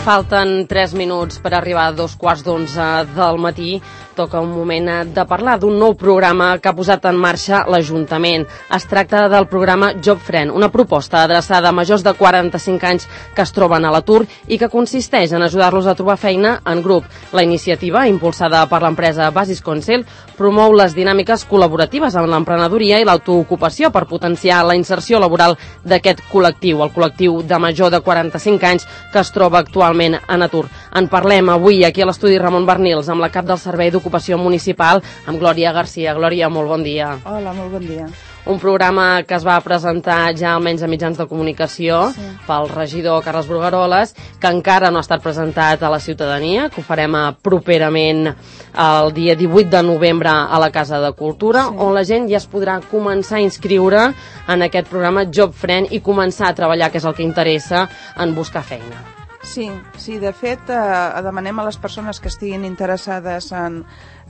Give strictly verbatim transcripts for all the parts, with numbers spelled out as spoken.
Falten tres minuts per arribar a dos quarts d'onze del matí. Toca un moment de parlar d'un nou programa que ha posat en marxa l'Ajuntament. Es tracta del programa Job Friend, una proposta adreçada a majors de quaranta-cinc anys que es troben a l'atur i que consisteix en ajudar-los a trobar feina en grup. La iniciativa, impulsada per l'empresa Basis Council, promou les dinàmiques col·laboratives amb l'emprenedoria i l'autoocupació per potenciar la inserció laboral d'aquest col·lectiu, el col·lectiu de major de quaranta-cinc anys que es troba actualment en atur. En parlem avui aquí a l'estudi Ramon Bernils amb la cap del Servei d'Ocupació Municipal, amb Glòria Garcia. Glòria, molt bon dia. Hola, molt bon dia. Un programa que es va presentar ja almenys a mitjans de comunicació sí. pel regidor Carles Brugueroles, que encara no ha estat presentat a la ciutadania, que ho farem properament el dia divuit de novembre a la Casa de Cultura, sí. on la gent ja es podrà començar a inscriure en aquest programa Job Friend i començar a treballar, que és el que interessa, en buscar feina. Sí, sí, de fet, eh, demanem a les persones que estiguin interessades en,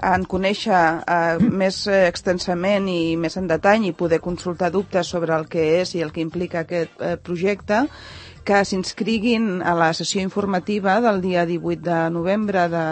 en conèixer eh, més extensament i més en detall i poder consultar dubtes sobre el que és i el que implica aquest eh, projecte, que s'inscriguin a la sessió informativa del dia divuit de novembre de,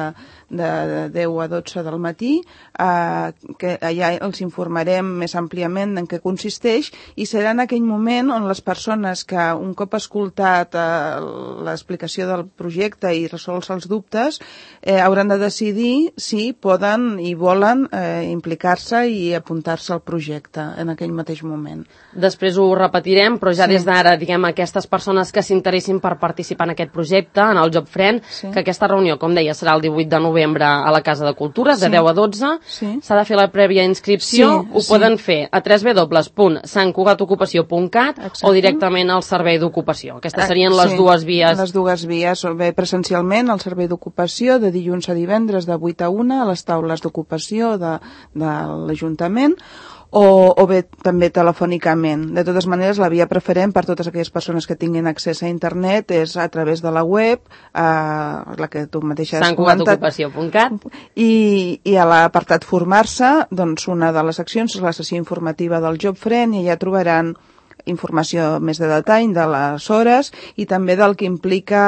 de deu a dotze del matí, eh, que allà els informarem més àmpliament en què consisteix i serà en aquell moment on les persones que un cop escoltat eh, l'explicació del projecte i resolts els dubtes eh, hauran de decidir si poden i volen eh, implicar-se i apuntar-se al projecte en aquell mateix moment. Després ho repetirem, però ja sí. des d'ara, diguem, aquestes persones que s'interessin per participar en aquest projecte, en el Job Friend, sí. que aquesta reunió, com deia, serà el divuit de novembre a la Casa de Cultura, de sí. deu a dotze. Sí. S'ha de fer la prèvia inscripció. Sí, ho sí. poden fer a w w w punt sant cugat ocupació punt cat o directament al Servei d'Ocupació. Aquestes serien les sí, dues vies. Les dues vies, o bé presencialment al Servei d'Ocupació de dilluns a divendres de vuit a una a les taules d'ocupació de, de l'Ajuntament, O, o bé també telefònicament. De totes maneres, la via preferent per totes aquelles persones que tinguin accés a internet és a través de la web, eh, la que tu mateixa has comentat, sant cugat ocupació punt cat, i, i a l'apartat formar-se, doncs una de les seccions és la sessió informativa del Job Friend i allà trobaran informació més de detall de les hores i també del que implica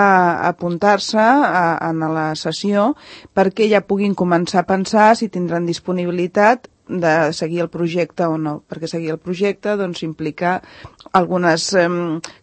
apuntar-se a, a la sessió perquè ja puguin començar a pensar si tindran disponibilitat de seguir el projecte o no, perquè seguir el projecte doncs implica algunes eh,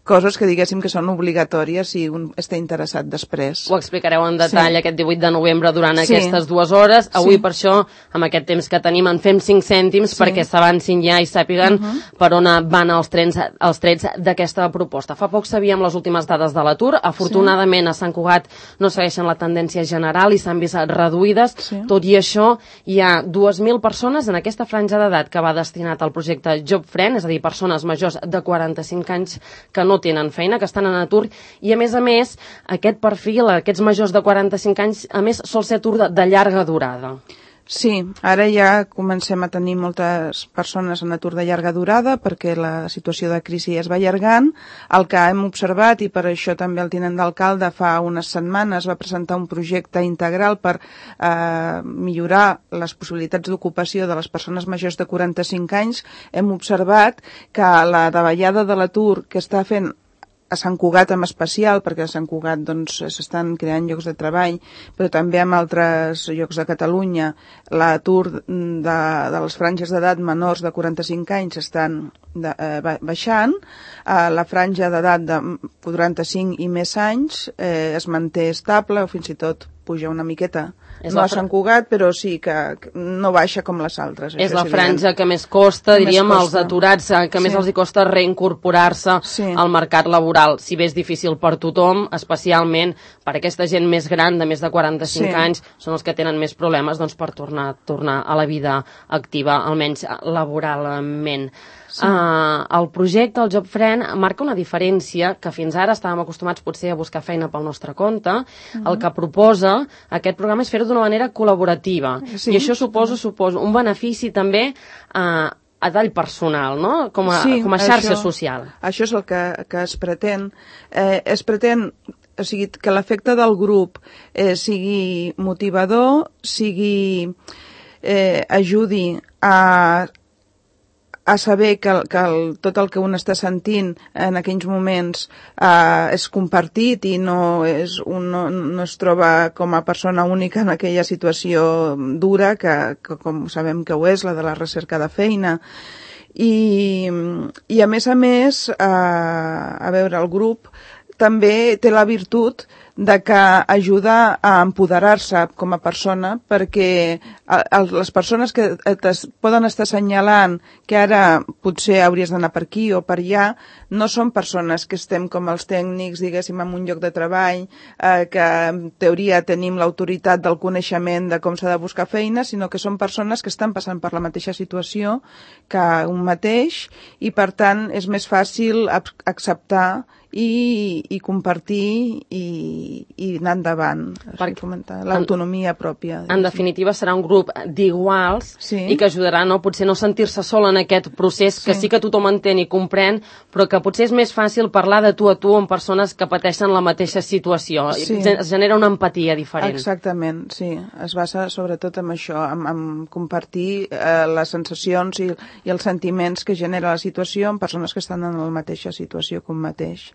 coses que diguéssim que són obligatòries si un està interessat després. Ho explicareu en detall sí. aquest divuit de novembre durant sí. aquestes dues hores. Avui sí. per això, amb aquest temps que tenim, en fem cinc cèntims sí. perquè s'avancin ja i sàpiguen uh -huh. per on van els trets, els trets d'aquesta proposta. Fa poc sabíem les últimes dades de l'atur. Afortunadament sí. a Sant Cugat no segueixen la tendència general i s'han vist reduïdes. Sí. Tot i això, hi ha dues mil persones en aquesta franja d'edat que va destinat al projecte Job Friend, és a dir, persones majors de quaranta-cinc anys que no tenen feina, que estan en atur, i a més a més, aquest perfil, aquests majors de quaranta-cinc anys, a més, sol ser atur de, de llarga durada. Sí, ara ja comencem a tenir moltes persones en atur de llarga durada perquè la situació de crisi es va allargant. El que hem observat, i per això també el tinent d'alcalde fa unes setmanes va presentar un projecte integral per eh, millorar les possibilitats d'ocupació de les persones majors de quaranta-cinc anys, hem observat que la davallada de l'atur que està fent a Sant Cugat en especial, perquè a Sant Cugat doncs, s'estan creant llocs de treball, però també en altres llocs de Catalunya l'atur de, de les franges d'edat menors de quaranta-cinc anys estan de, eh, baixant, eh, la franja d'edat de quaranta-cinc i més anys eh, es manté estable o fins i tot puja una miqueta. És no a Sant Cugat, però sí que no baixa com les altres. És la franja que més costa, diríem, als aturats, que més els hi costa reincorporar-se al mercat laboral. Si bé és difícil per tothom, especialment per aquesta gent més gran, de més de quaranta-cinc anys, són els que tenen més problemes doncs, per tornar, tornar a la vida activa, almenys laboralment. Sí. Uh, el projecte, el Job Friend, marca una diferència que fins ara estàvem acostumats potser a buscar feina pel nostre compte. Uh-huh. El que proposa aquest programa és fer-ho d'una manera col·laborativa. Sí. I això suposo, suposo un benefici també uh, a tall personal, no? Com a, sí, com a xarxa això, social. Això és el que, que es pretén. Eh, es pretén o sigui, que l'efecte del grup eh, sigui motivador, sigui eh, ajudi a a saber que, que el, tot el que un està sentint en aquells moments eh, és compartit i no, és un, no, no es troba com a persona única en aquella situació dura que, que com sabem que ho és, la de la recerca de feina. I, i a més a més, eh, a veure, el grup també té la virtut de que ajuda a empoderar-se com a persona, perquè les persones que es poden estar assenyalant que ara potser hauries d'anar per aquí o per allà, no són persones que estem com els tècnics, diguéssim, en un lloc de treball, eh, que en teoria tenim l'autoritat del coneixement de com s'ha de buscar feina, sinó que són persones que estan passant per la mateixa situació que un mateix i, per tant, és més fàcil acceptar i, i compartir i, i anar endavant, l'autonomia pròpia. En definitiva, serà un grup d'iguals sí. i que ajudarà no, potser no sentir-se sol en aquest procés, que sí. sí que tothom entén i comprèn, però que potser és més fàcil parlar de tu a tu amb persones que pateixen la mateixa situació. Sí. Es genera una empatia diferent. Exactament, sí. Es basa sobretot en això, en, en compartir eh, les sensacions i, i els sentiments que genera la situació amb persones que estan en la mateixa situació com mateix.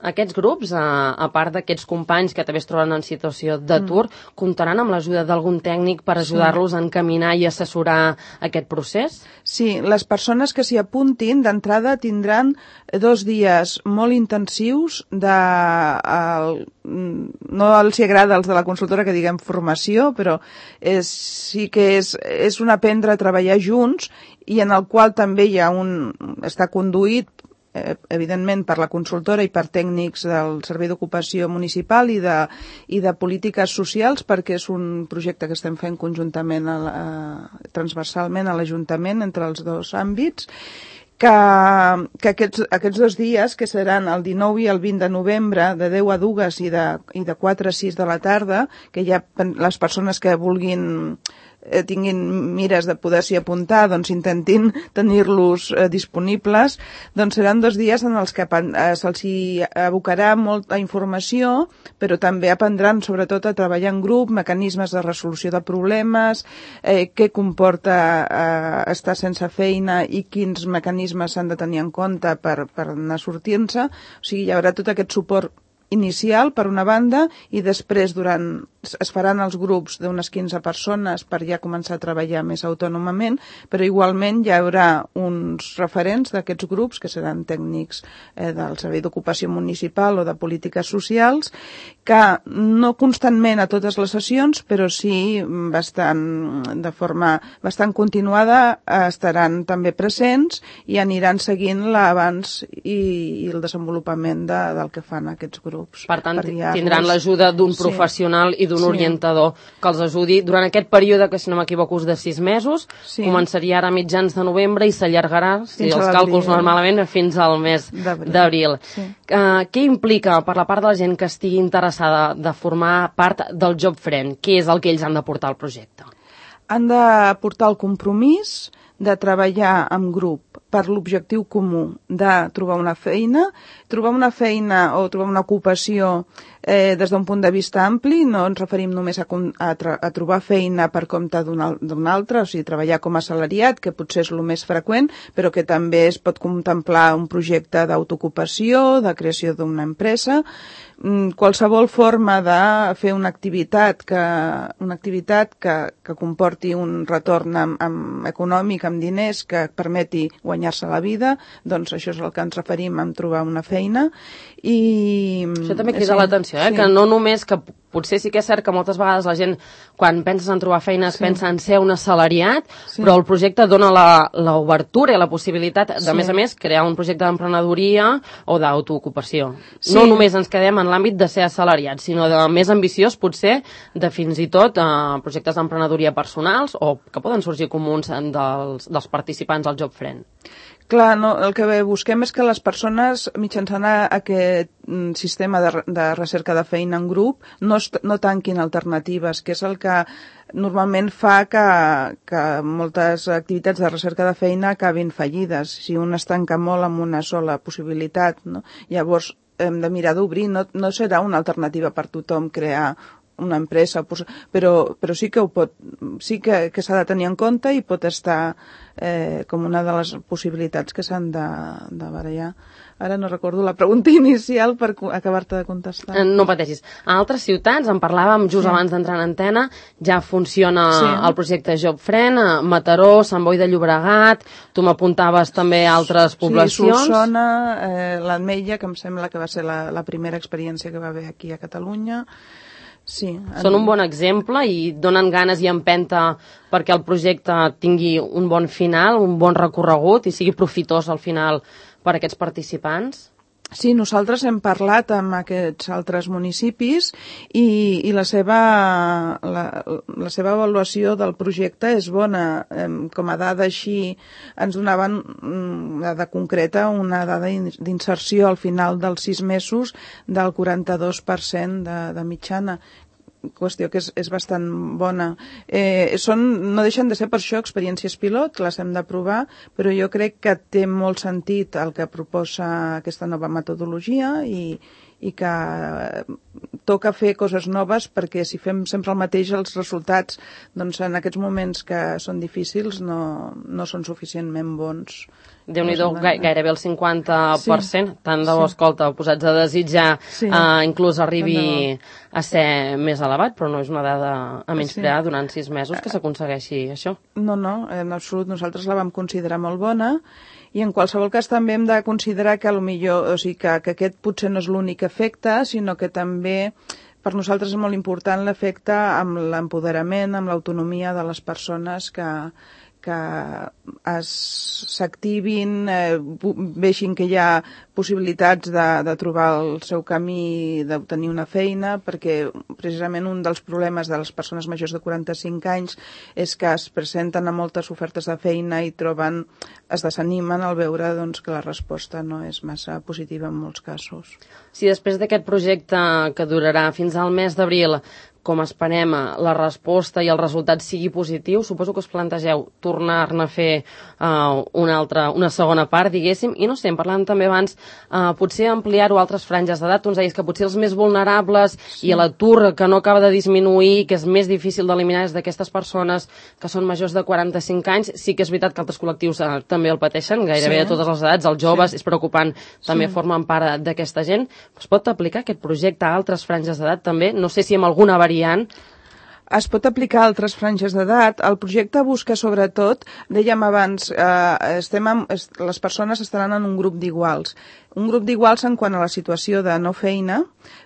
Aquests grups, a, a part d'aquests companys que també es troben en situació d'atur, mm. comptaran amb l'ajuda d'algun tècnic per ajudar-los sí. a encaminar i assessorar aquest procés? Sí, les persones que s'hi apuntin d'entrada tindran dos dies molt intensius de... El, no els agrada els de la consultora que diguem formació, però és, sí que és, és un aprendre a treballar junts i en el qual també hi ha un... està conduït evidentment per la consultora i per tècnics del Servei d'Ocupació Municipal i de, i de polítiques socials, perquè és un projecte que estem fent conjuntament a la, a, transversalment a l'Ajuntament entre els dos àmbits, que, que aquests, aquests dos dies, que seran el dinou i el vint de novembre, de deu a dues i de, i de quatre a sis de la tarda, que ja les persones que vulguin eh, tinguin mires de poder-s'hi apuntar, doncs intentin tenir-los eh, disponibles, doncs seran dos dies en els que eh, se'ls abocarà molta informació, però també aprendran sobretot a treballar en grup, mecanismes de resolució de problemes, eh, què comporta eh, estar sense feina i quins mecanismes s'han de tenir en compte per, per anar sortint-se. O sigui, hi haurà tot aquest suport inicial per una banda i després durant es faran els grups d'unes quinze persones per ja començar a treballar més autònomament, però igualment hi haurà uns referents d'aquests grups que seran tècnics eh, del Servei d'Ocupació Municipal o de Polítiques Socials que no constantment a totes les sessions, però sí bastant, de forma bastant continuada eh, estaran també presents i aniran seguint l'abans i, i el desenvolupament de, del que fan aquests grups. Per tant, per tindran l'ajuda d'un sí. professional i d'un sí. orientador que els ajudi durant aquest període, que si no m'equivoco és de sis mesos, sí. començaria ara a mitjans de novembre i s'allargarà, si els càlculs no van malament, fins al mes d'abril. Sí. Uh, què implica per la part de la gent que estigui interessada de formar part del Job Friend? Què és el que ells han de portar al projecte? Han de portar el compromís de treballar en grup per l'objectiu comú de trobar una feina, trobar una feina o trobar una ocupació eh, des d'un punt de vista ampli, no ens referim només a, a, a trobar feina per compte d'un altre, o sigui, treballar com a assalariat, que potser és el més freqüent, però que també es pot contemplar un projecte d'autoocupació, de creació d'una empresa, qualsevol forma de fer una activitat que, una activitat que, que comporti un retorn amb, amb econòmic, amb diners, que permeti guanyar-se la vida, doncs això és el que ens referim amb trobar una feina. I això també crida sí, l'atenció, eh? Sí. Que no només, que potser sí que és cert que moltes vegades la gent, quan penses en trobar feina, es sí. pensa en ser un assalariat, sí. però el projecte dona l'obertura i la possibilitat de, sí. a més a més, crear un projecte d'emprenedoria o d'autoocupació. Sí. No només ens quedem en l'àmbit de ser assalariats, sinó de més ambiciós, potser, de fins i tot eh, projectes d'emprenedoria personals o que poden sorgir comuns dels, dels participants al Job Friend. Clar, no, el que busquem és que les persones, mitjançant aquest sistema de, de recerca de feina en grup, no, no tanquin alternatives, que és el que normalment fa que, que moltes activitats de recerca de feina acabin fallides, si un es tanca molt amb una sola possibilitat, no? Llavors hem de mirar d'obrir, no, no serà una alternativa per tothom crear una empresa, però, però sí que ho pot, sí que, que s'ha de tenir en compte i pot estar eh, com una de les possibilitats que s'han de, de barallar. Ara no recordo la pregunta inicial per acabar-te de contestar. No pateixis. A altres ciutats, en parlàvem just sí. abans d'entrar en antena, ja funciona sí. el projecte JobFriend, a Mataró, Sant Boi de Llobregat, tu m'apuntaves també a altres poblacions. Sí, Solsona, eh, l'Ametlla, que em sembla que va ser la, la primera experiència que va haver aquí a Catalunya. Sí, en... Són un bon exemple i donen ganes i empenta perquè el projecte tingui un bon final, un bon recorregut i sigui profitós al final per a aquests participants? Sí, nosaltres hem parlat amb aquests altres municipis i, i la, seva, la, la seva avaluació del projecte és bona. Com a dada així ens donaven una dada concreta, una dada d'inserció al final dels sis mesos del quaranta-dos per cent de, de mitjana, qüestió que és, és bastant bona. Eh, són, no deixen de ser per això experiències pilot, les hem de provar, però jo crec que té molt sentit el que proposa aquesta nova metodologia i, i que toca fer coses noves perquè si fem sempre el mateix els resultats doncs en aquests moments que són difícils no, no són suficientment bons. Déu-n'hi-do, gairebé el cinquanta per cent, sí. Tant de bo, sí. Escolta, posats a desitjar, sí. eh, inclús arribi a ser més elevat, però no és una dada a menysprear sí. Durant sis mesos que s'aconsegueixi això. No, no, en absolut, nosaltres la vam considerar molt bona i en qualsevol cas també hem de considerar que, millor, o sigui, que, que aquest potser no és l'únic efecte, sinó que també per nosaltres és molt important l'efecte amb l'empoderament, amb l'autonomia de les persones que que s'activin, eh, vegin que hi ha possibilitats de, de trobar el seu camí, d'obtenir una feina, perquè precisament un dels problemes de les persones majors de quaranta-cinc anys és que es presenten a moltes ofertes de feina i troben, es desanimen al veure doncs, que la resposta no és massa positiva en molts casos. Si després d'aquest projecte que durarà fins al mes d'abril com esperem, la resposta i el resultat sigui positiu, suposo que us plantegeu tornar-ne a fer uh, una altra, una segona part, diguéssim, i no sé, en parlàvem també abans, uh, potser ampliar-ho a altres franges d'edat, tu ens deies que potser els més vulnerables sí. I l'atur que no acaba de disminuir, que és més difícil d'eliminar és d'aquestes persones que són majors de quaranta-cinc anys, sí que és veritat que altres col·lectius uh, també el pateixen, gairebé sí. A totes les edats, els joves, sí. És preocupant, també sí. Formen part d'aquesta gent. Es pot aplicar aquest projecte a altres franges d'edat també? No sé si amb alguna variant es pot aplicar a altres franges d'edat. El projecte busca, sobretot, dèiem abans, eh, estem amb, les persones estaran en un grup d'iguals. Un grup d'iguals en quant a la situació de no feina,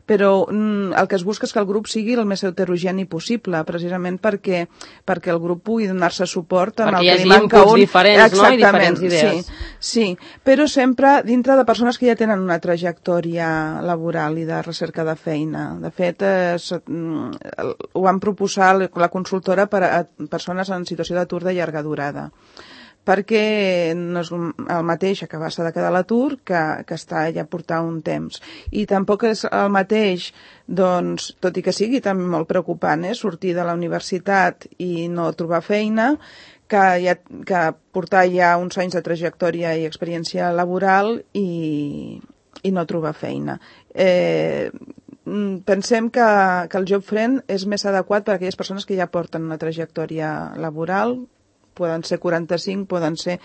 però mm, el que es busca és que el grup sigui el més heterogeni possible, precisament perquè, perquè el grup pugui donar-se suport en perquè el que li manca un. Perquè hi hagi inputs diferents, no? I diferents idees. Sí, sí, però sempre dintre de persones que ja tenen una trajectòria laboral i de recerca de feina. De fet, eh, ho van proposar la consultora per a persones en situació d'atur de llarga durada, perquè no és el mateix acabar-se de quedar a l'atur que, que està ja portar un temps. I tampoc és el mateix, doncs, tot i que sigui també molt preocupant, eh, sortir de la universitat i no trobar feina, que, ja, que portar ja uns anys de trajectòria i experiència laboral i, i no trobar feina. Eh, pensem que, que el JobFriend és més adequat per a aquelles persones que ja porten una trajectòria laboral, poden ser quaranta-cinc, poden ser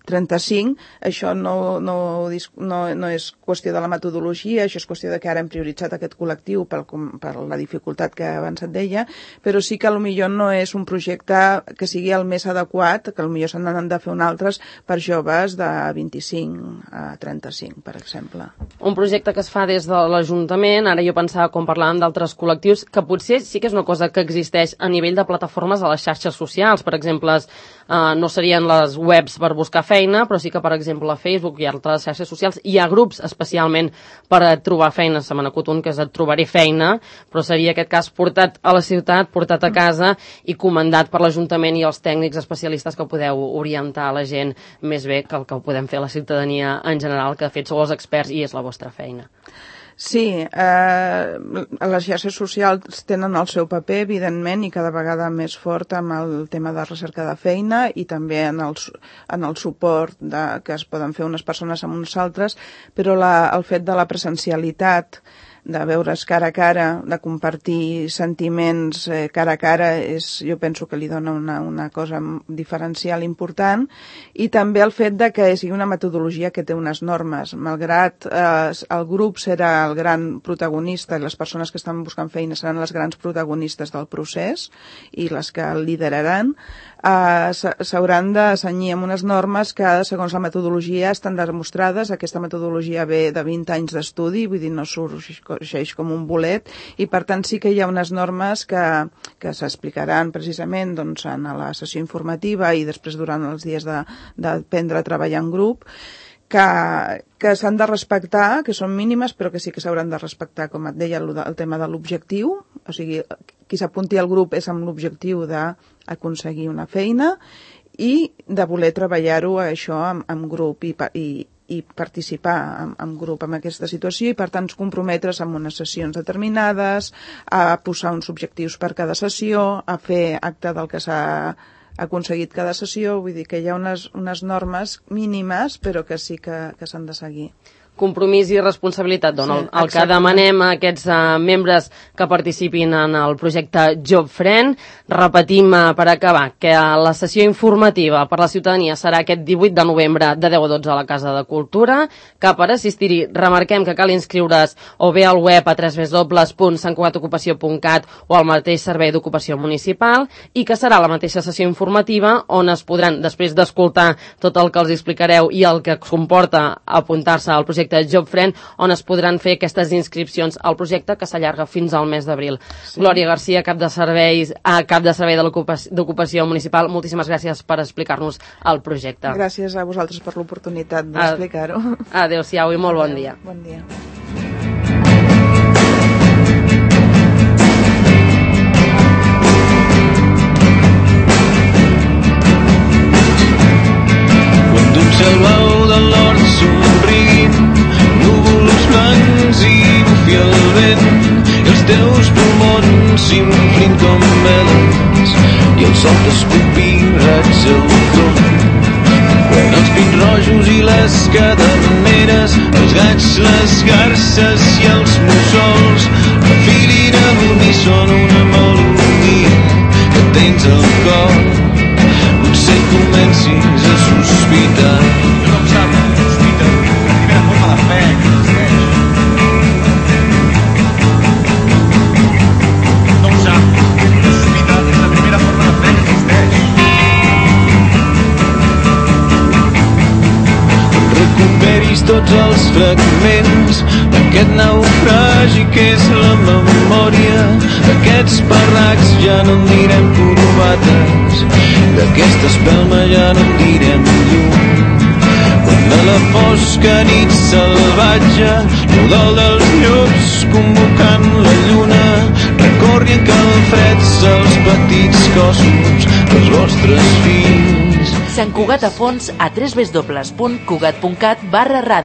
trenta-cinc, això no, no, no, no és qüestió de la metodologia, això és qüestió de que ara hem prioritzat aquest col·lectiu per, per la dificultat que abans et deia, però sí que potser no és un projecte que sigui el més adequat, que potser se n'han de fer un altres per joves de vint-i-cinc a trenta-cinc, per exemple. Un projecte que es fa des de l'Ajuntament, ara jo pensava, com parlàvem d'altres col·lectius, que potser sí que és una cosa que existeix a nivell de plataformes a les xarxes socials, per exemple, Uh, no serien les webs per buscar feina, però sí que, per exemple, a Facebook i a altres xarxes socials hi ha grups especialment per a trobar feina. Se me n'acut un que és et trobaré feina, però seria aquest cas portat a la ciutat, portat a casa i comandat per l'Ajuntament i els tècnics especialistes que podeu orientar la gent més bé que el que podem fer a la ciutadania en general, que de fet sou els experts i és la vostra feina. Sí, eh, les xarxes socials tenen el seu paper, evidentment, i cada vegada més fort amb el tema de recerca de feina i també en el, en el suport de, que es poden fer unes persones amb unes altres, però la, el fet de la presencialitat de veure's cara a cara, de compartir sentiments eh, cara a cara, és, jo penso que li dona una, una cosa diferencial important, i també el fet de que sigui una metodologia que té unes normes. Malgrat eh, el grup serà el gran protagonista i les persones que estan buscant feina seran les grans protagonistes del procés i les que el lideraran, Uh, s'hauran de cenyir amb unes normes que, segons la metodologia, estan demostrades. Aquesta metodologia ve de vint anys d'estudi, vull dir, no sorgeix com un bolet, i per tant sí que hi ha unes normes que, que s'explicaran precisament doncs, en la sessió informativa i després durant els dies d'aprendre a treballar en grup, que, que s'han de respectar, que són mínimes, però que sí que s'hauran de respectar, com et deia, el, el tema de l'objectiu. O sigui, qui s'apunti al grup és amb l'objectiu d'aconseguir una feina i de voler treballar-ho això amb, amb grup i, i, i participar en, en grup en aquesta situació, i per tant comprometre's amb unes sessions determinades, a posar uns objectius per cada sessió, a fer acte del que s'ha aconseguit cada sessió. Vull dir que hi ha unes, unes normes mínimes, però que sí que, que s'han de seguir. Compromís i responsabilitat, doncs, sí, el, el que demanem a aquests uh, membres que participin en el projecte JobFriend. Repetim uh, per acabar que la sessió informativa per la ciutadania serà aquest divuit de novembre de deu a dotze a la Casa de Cultura, que per assistir-hi remarquem que cal inscriure's o bé al web a w w w punt sant cugat ocupació punt cat o al mateix Servei d'Ocupació Municipal, i que serà la mateixa sessió informativa on es podran, després d'escoltar tot el que els explicareu i el que comporta apuntar-se al projecte JobFriend, on es podran fer aquestes inscripcions al projecte, que s'allarga fins al mes d'abril. Sí. Glòria Garcia, cap de serveis, a cap de servei d'Ocupació Municipal, moltíssimes gràcies per explicar-nos el projecte. Gràcies a vosaltres per l'oportunitat d'explicar-ho. Adéu-siau i molt bon dia. Bon dia. Quan d'un cel blau de l'hort somriguin núvols blancs i bufi el vent i els teus pulmons s'inflin com veles i el sol t'escupi raig al front. Quan els pins rojos i les caderneres, els gats, les garces i els mussols refilin a l'uníson una melodia que tens al cor, potser comencis a sospitar. Jo no em sap, sospita, la primera forma de fe que existeix. No ho sap, sospita, és la primera forma de fe que existeix. Recuperis tots els fragments d'aquest naufragi que és la memòria, d'aquests parracs ja no en direm corbates, d'aquesta espelma ja no en direm llum. Quan a la fosca nit salvatge, l'udol dels llops convocant la lluna, recorri en calfreds els petits cossos dels vostres fills. Sant Cugat a fons a w w w punt cugat punt cat barra ràdio.